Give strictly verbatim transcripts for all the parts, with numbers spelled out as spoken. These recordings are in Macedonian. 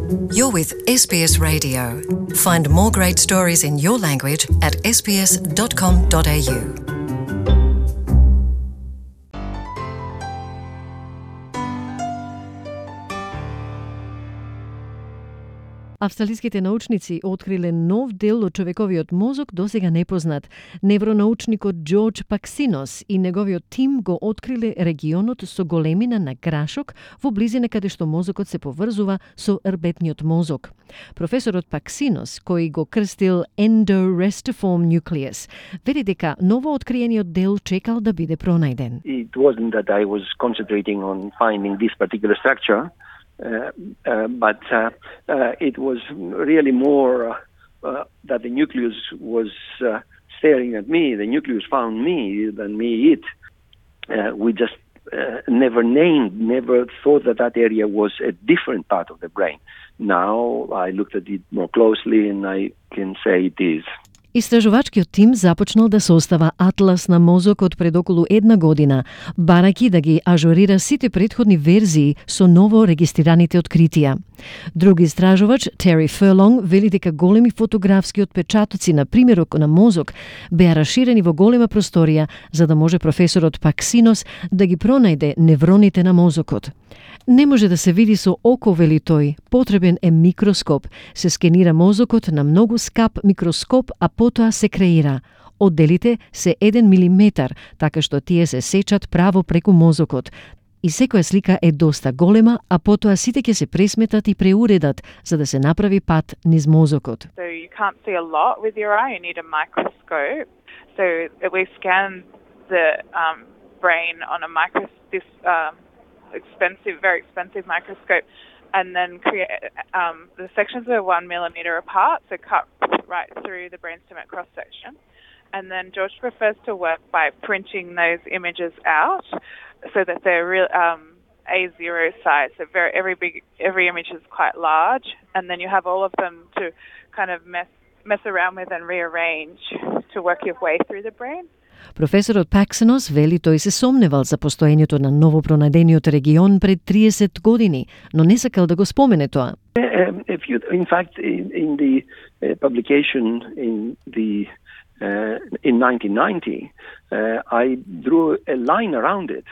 You're with S B S Radio. Find more great stories in your language at s b s dot com dot a u. Австралиските научници откриле нов дел од човековиот мозок досега непознат. Невронаучникот Джордж Паксинос и неговиот тим го откриле регионот со големина на грашок во близина каде што мозокот се поврзува со рбетниот мозок. Професорот Паксинос, кој го крстил endorestiform nucleus, вели дека ново откриениот дел чекал да биде пронајден. It wasn't that I was concentrating on finding this particular structure. Uh, uh, but uh, uh, it was really more uh, uh, that the nucleus was uh, staring at me. The nucleus found me than me it. Uh, we just uh, never named, never thought that that area was a different part of the brain. Now I looked at it more closely and I can say it is. Истражувачкиот тим започнал да состава атлас на мозокот пред околу една година, барајќи да ги ажурира сите претходни верзии со ново регистрираните откритија. Друг истражувач, Тери Ферлонг, вели дека големи фотографски отпечатоци на примерок на мозок беа раширени во голема просторија за да може професорот Паксинос да ги пронајде невроните на мозокот. Не може да се види со око, вели тој, потребен е микроскоп. Се скенира мозокот на многу скап микроскоп, а потоа се креира. Одделите се еден милиметар, така што тие се сечат право преку мозокот. И секоја слика е доста голема, а потоа сите ќе се пресметат и преуредат, за да се направи пат низ мозокот. So you can't see a lot with your eye, you need a microscope. So we scan the um, brain on a micro this um, expensive, very expensive microscope, and then create um, the sections are one millimeter apart, so cut right through the brainstem at cross section. And then George prefers to work by printing those images out so that they're real um, A zero size. So very every big every image is quite large, and then you have all of them to kind of mess mess around with and rearrange to work your way through the brain. Професорот Паксинос вели тој се сомневал за постоењето на новопронајдениот регион пред триесет години, но не сакал да го спомене тоа. Uh, if you, in fact, in, in the uh, publication in the uh, in nineteen ninety, uh, I drew a line around it,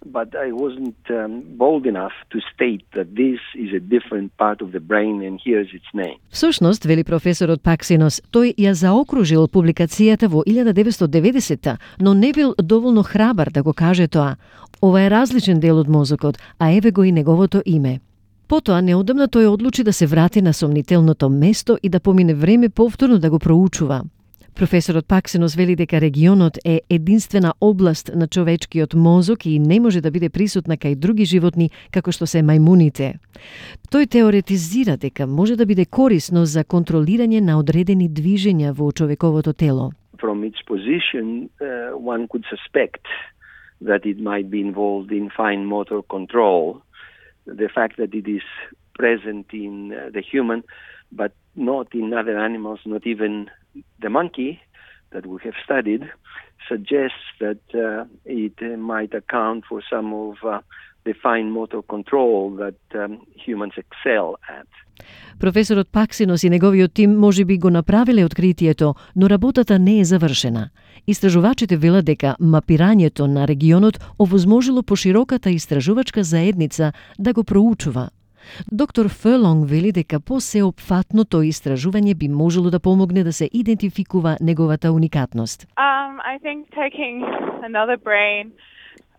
but I wasn't um, bold enough to state that this is a different part of the brain and here's its name. Всушност, вели професорот Паксинос, тој ја заокружил публикацијата во илјада деветстотини и деветдесета, но не бил доволно храбар да го каже тоа. Ова е различен дел од мозокот, а еве го и неговото име. Потоа, неодамна тој одлучи да се врати на сомнителното место и да помине време повторно да го проучува. Професорот Паксинос вели дека регионот е единствена област на човечкиот мозок и не може да биде присутна кај други животни како што се мајмуните. Тој теоретизира дека може да биде корисно за контролирање на одредени движења во човековото тело. From its position, uh, one could suspect that it might be involved in fine motor control. The fact that it is present in uh, the human, but not in other animals, not even the monkey that we have studied, suggests that uh, it uh, might account for some of uh, the fine motor control that um, humans excel at. Професорот Паксинос и неговиот тим можеби го направиле откритието, но работата не е завршена. Истражувачите велат дека мапирањето на регионот овозможило пошироката истражувачка заедница да го проучува. Доктор Ферлонг вели дека посеопфатно тој истражување би можело да помогне да се идентификува неговата уникатност. Um, I think taking another brain,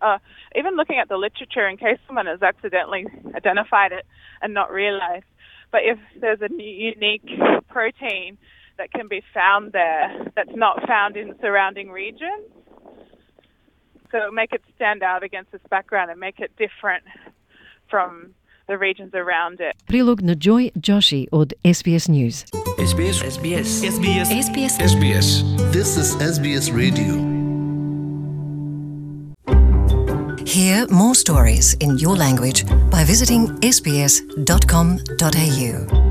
uh, even looking at the literature in case someone has accidentally identified it and not realized, but if there's a unique protein that can be found there that's not found in surrounding regions, so make it stand out against this background and make it different from the regions around it. Прилог на Joy Joshi од S B S News. S B S S B S S B S S B S S B S This is S B S Radio. Hear more stories in your language by visiting s b s dot com dot a u.